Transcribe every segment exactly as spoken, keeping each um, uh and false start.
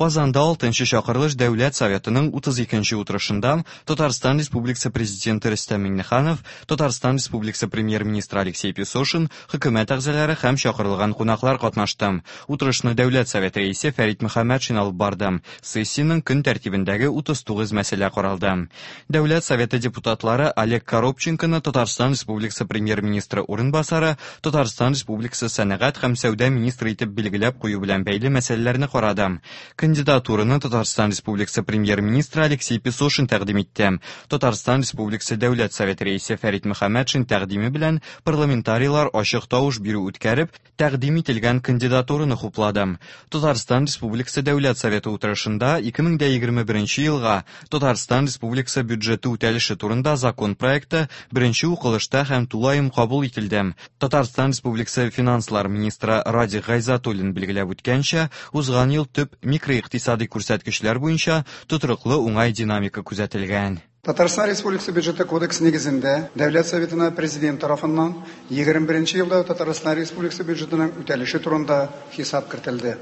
Казанда алтынчы чакырылыш Дәүләт Советының утыз икенче утырышында Татарстан Республикасы Президенты Рөстәм Миңнеханов, Татарстан Республикасы Премьер-министры Алексей Песошин, хөкүмәт әгъзалары һәм чакырылган кунаклар катнашты. Утырышны Дәүләт Советы рәисе Фәрит Мөхәммәтшин алып барды. Сессиянең көн тәртибендәге утыз тугыз мәсьәлә каралды. Дәүләт Советы депутатлары Олег Коробченконы Татарстан Республикасы Премьер-министры урынбасары, Татарстан Республикасы сәнәгать һәм сәүдә министры итеп билгеләп кую белән бәйле мәсьәләләрне карады. Кандидатураны Татарстан Республикасы Премьер-министры Алексей Песошин тәкъдим итте. Татарстан Республикасы Дәүләт Советы рәисе Фәрит Мөхәммәтшин тәкъдиме белән парламентарийлар ачык тавыш бирү үткәреп, тәкъдим ителгән кандидатураны хуплады. Татарстан Республикасы Дәүләт Советы утырышында ике мең егерме беренче елга Татарстан Республикасы бюджеты үтәлеше турында закон проекты беренче укылышта һәм тулаем кабул ителде. Татарстан Республикасы финанслар министры Радик Гайзатуллин билгеләп үткәнчә, узган ел төп микроикътисади күрсәткечләр буенча тотрыклы уңай динамика күзәтелгән. Татарстан Республикасы бюджеты кодексы нигезендә Дәүләт Советына Президент тарафыннан егерме беренче елда Татарстан Республикасы бюджетының үтәлеше турында хисап кертелде.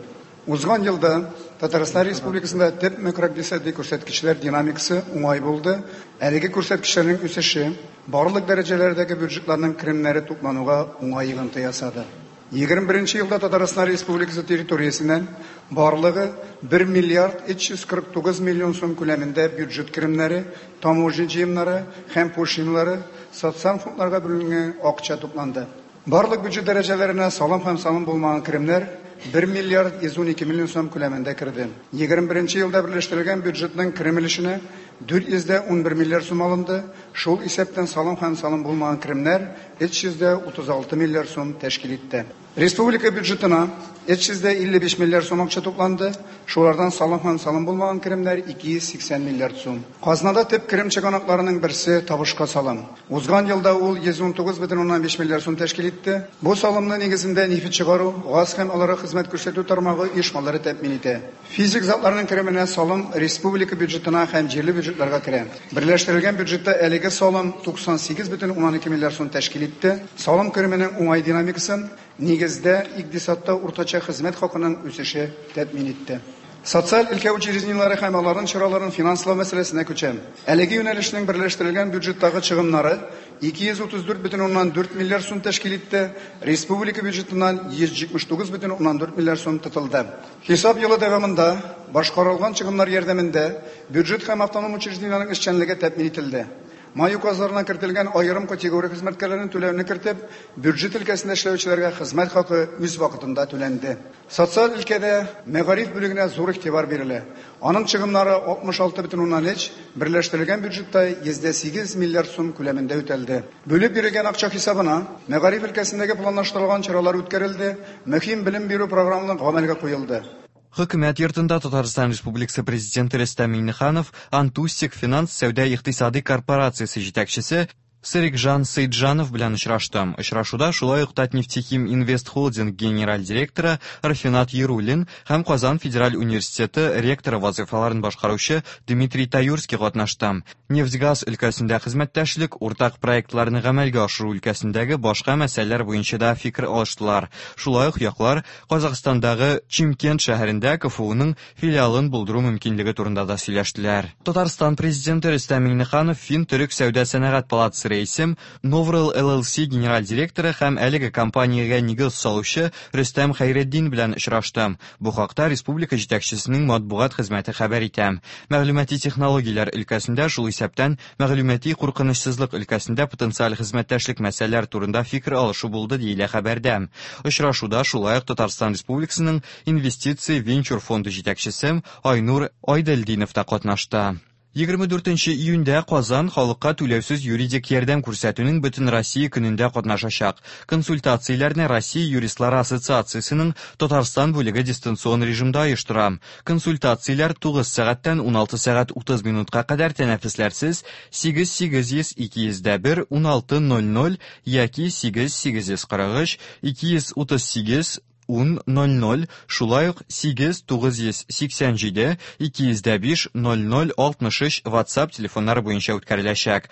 Узган елда Татарстан Республикасында төп макроикътисади күрсәткечләр динамикасы уңай булды. Әлеге күрсәткечләрнең үсеше барлык дәрәҗәләрдәге бюджетларның керемнәре туплануга уңай йогынты ясады. Егерме беренче елда Татарстан Республикасы территориясеннән барлыгы бер миллиард өч йөз кырык тугыз миллион сум күләмендә бюджет керемнәре, таможня җыемнары һәм пошлиналары социаль фондларга бүленгән акча тупланды. Барлык бюджет дәрәҗәләренә салым һәм салым булмаган керемнәр бер миллиард йөз ун ике миллион сум күләмендә керде. Егерме беренче елда берләштерелгән бюджетның керем өлешенә дүрт йөз дә ун бер миллиард сум алынды. Шул исәптән салым һәм салым булмаган керемнәр өч йөз дә утыз алты миллиард сум тәшкил итте. Республика бюджетына өч йөз дә илле биш миллиард сум акча тупланды. Шулардан салым һәм салым булмаган керемнәр ике йөз сиксән миллиард сум. Казнада төп керем чыганакларының берсе табышка салым. Узган елда ул йөз ун тугыз бөтен уннан биш миллиард сум тәшкил итте. Бу салымны нигезендә нефть чыгару, газ һәм аларга хезмәт күрсәтү тармагы оешмалары тәэмин итә. Физик затларның кеременә салым республика бюджетына һәм җирле бюджетларга керә. Берләштерелгән бюджетта әлеге салым туксан сигез бөтен уннан ике миллиард сум тәшкил итте. Салым кеременең уңай динамикасын нигездә икътисадта уртача хезмәт хакының үсеше тәэмин итте. Социаль өлкә учреждениеләре һәм аларның чараларын финанслау мәсьәләсенә күчәм. Әлеге юнәлешнең берләштерелгән бюджеттагы чыгымнары ике йөз утыз дүрт бөтен уннан дүрт миллиард сум тәшкил итте. Республика бюджетыннан йөз җитмеш тугыз бөтен уннан дүрт миллиард сум тотылды. Хисап елы дәвамында башкарылган чыгымнар ярдәмендә бюджет һәм автоном учреждениеләрнең эшчәнлеге тәэмин ителде. Май указларына кертелгән аерым категория хезмәткәрләрен түләүне кертеп, бюджет өлкәсендә эшләүчеләргә хезмәт хакы үз вакытында түләнде. Социаль өлкәдә мәгариф бүлегенә зур игътибар бирелә. Аның чыгымнары алтмыш алты бөтен уннан өч, берләштерелгән бюджетта йөз дә сигез миллиард сум күләмендә үтәлде. Бүлеп бирелгән акча хисабына мәгариф өлкәсендәге планлаштырылган чаралар үткәрелде, мөһим белем бирү программалары гамәлгә куелды. Хөкүмәт йортында Татарстан Республикасы Президенты Рөстәм Миңнеханов Антустик финанс сәүдә икътисади корпорациясе җитәкчесе Серикжан Сейджанов белән очрашты. Очрашуда шулай ук Татнефтехим Инвест Холдинг генераль директоры Рафинат Яруллин һәм Казан Федераль университеты ректоры вазыйфаларын башкаручы Дмитрий Таюрский катнашты. Нефтьгаз өлкәсендә хезмәттәшлек, уртак проектларны гамәлгә ашыру өлкәсендәге башка мәсьәләләр буенча да фикер алыштылар. Шулай ук яклар Казахстандагы Чимкент шәһәрендә К Ф Уның филиалын булдыру мөмкинлеге турында да сөйләштеләр. Татарстан Президенты Рөстәм Миңнеханов Фин-Төрек сәүдә сәнәгать палатасы рәисе, Новрел Л Л С генераль директоры һәм әлеге компаниягә нигез салучы Рөстәм Хәйретдин белән очрашты. Бу хакта республика җитәкчесенең матбугат хезмәте хәбәр итә. Мәгълүмати технологияләр өлкәсендә, шул исәптән мәгълүмати куркынычсызлык өлкәсендә потенциаль хезмәттәшлек мәсьәләләр турында фикер алышу булды, диелә хәбәрдә. Очрашуда шулай ук Татарстан Республикасының инвестиция венчур фонды җитәкчесе Айнур Айделдинов та катнашты. Егерме дүртенче июньдә Казан халыкка түләүсез юридик ярдәм күрсәтүнең бөтен Россия көнендә катнашачак. Консультацияләрне Россия юристлары ассоциациясенең Татарстан бүлеге дистанцион режимда оештыра. Консультацияләр тугыз сәгатьтән уналты сәгать утыз минутка кадәр тәнәфесләрсез сигез сигез йөз ике йөз дә бер уналты ноль ноль яки сигез сигез йөз кырык өч ике йөз утыз сигез ун ноль ноль, шулай ук сигез тугыз йөз сиксән җиде ике йөз дә биш ноль ноль алтмыш өч WhatsApp телефоннары буенча үткәреләчәк.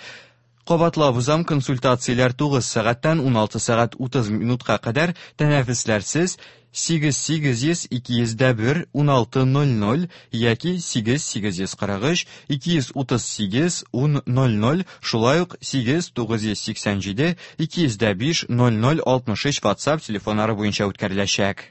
Кабатлап узам, консультацияләр тугыз сәгатьтән уналты сәгать утыз минутка кадәр тәнәфесләрсез сигез сигез йөз ике йөз дә бер уналты ноль ноль яки сигез сигез йөз кырык өч ике йөз утыз сигез ун ноль ноль, шулай ук сигез тугыз йөз сиксән җиде ике йөз дә биш ноль ноль алтмыш өч WhatsApp телефоннары буенча үткәреләчәк.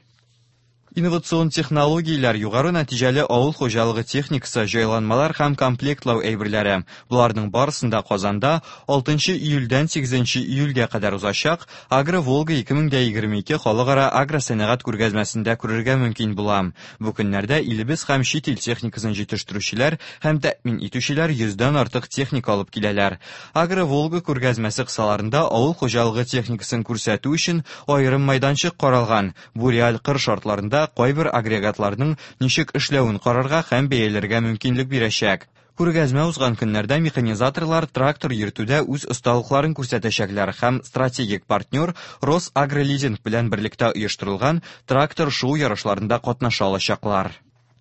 Инновацион технологияләр, югары нәтиҗәле авыл хуҗалыгы техникасы, җайланмалар һәм комплектлау әйберләре. Боларның барысын да Казанда алтынчы июльдән сигезенче июльгә кадәр узачак Агро-Волга ике мең дә егерме ике халыкара агросәнәгать күргәзмәсендә күрергә мөмкин була. Бу көннәрдә илебез һәм чит ил техникасын җитештерүчеләр һәм тәэмин итүчеләр йөздән артык техника алып киләләр. Агро-Волга күргәзмәсе кысаларында авыл хуҗалыгы техникасын күрсәтү өчен аерым майданчык каралган. Бу реаль кыр шартларында кайбер агрегатларның ничек эшләвен карарга һәм бәяләргә мөмкинлек бирәчәк. Күргәзмә узган көннәрдә механизаторлар трактор йөртүдә үз осталыкларын күрсәтәчәкләр һәм стратегик партнер Росагролизинг белән берлектә оештырылган трактор-шоу ярышларында катнаша алачаклар.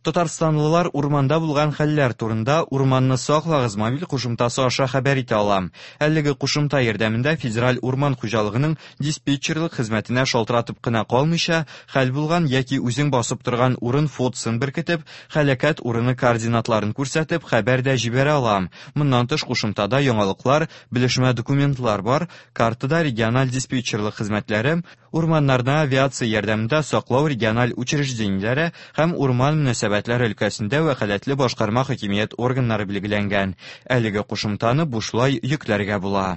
Татарстанлылар урманда булган хәлләр турында Урманны саклагыз мобиль кушымтасы аша хәбәр итә ала. Әлеге кушымта ярдәмендә Федераль урман хуҗалыгының диспетчерлык хезмәтенә шалтыратып кына калмыйча, хәл булган яки үзең басып торган урын фотосын беркетеп, һәлакәт урыны координатларын күрсәтеп, хәбәр дә җибәрә ала. Моннан тыш кушымтада яңалыклар, белешмә документлар бар. Картада региональ диспетчерлык хезмәтләре, урманнарны авиация ярдәмендә саклау региональ учреждениеләре һәм урман мөнәсәбәтләре өлкәсендә вәкаләтле башкарма хакимият органнары билгеләнгән. Әлеге кушымтаны бушлай йөкләргә була.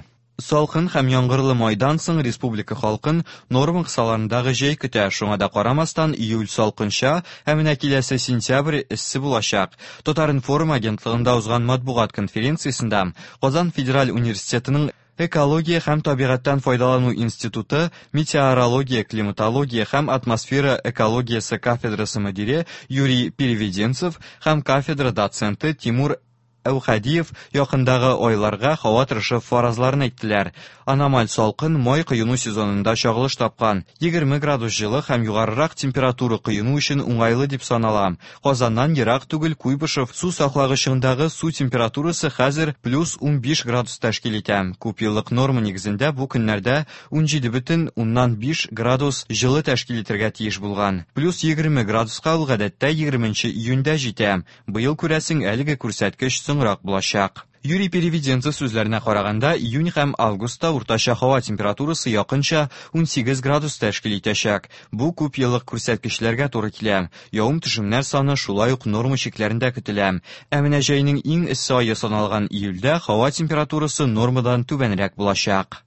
Салкын һәм яңгырлы майдан соң республика халкын норма кысаларындагы җәй көтә. Шуңа да карамастан июль салкынча, ә менә киләсе сентябрь эссе булачак. Татар-информ агентлыгында узган матбугат конференциясендә Казан федераль университетының Экология һәм табигатьтән файдалану институты метеорология, климатология һәм атмосфера экологиясе кафедрасы мөдире Юрий Переведенцев һәм кафедра доценты Тимур Әүхәдиев якындагы айларга һава торышы фаразларын әйттеләр. Аномаль салкын май коену сезонында чагылыш тапкан. Егерме градус җылы һәм югарырак температура коену өчен уңайлы дип санала. Казаннан ерак түгел Куйбышев су саклагычындагы су температурасы хәзер плюс унбиш градус тәшкил итә. Күпьеллык норма нигезендә бу көннәрдә унҗиде бөтен уннан биш градус җылы тәшкил итәргә тиеш булган. Плюс егерме градуска ул гадәттә егерменче июньдә җитә. Быел күрәсең әлеге күрсәткеч соңрак булачак. Юрий Переведенцев сүзләренә караганда, июнь һәм августта уртача һава температурасы якынча унсигез градус тәшкил итәчәк. Бу күп еллык күрсәткечләргә туры килә. Явым-төшемнәр саны шулай ук норма чикләрендә көтелә. Ә менә җәйнең иң эссе ае саналган июльдә һава температурасы нормадан түбәнрәк булачак.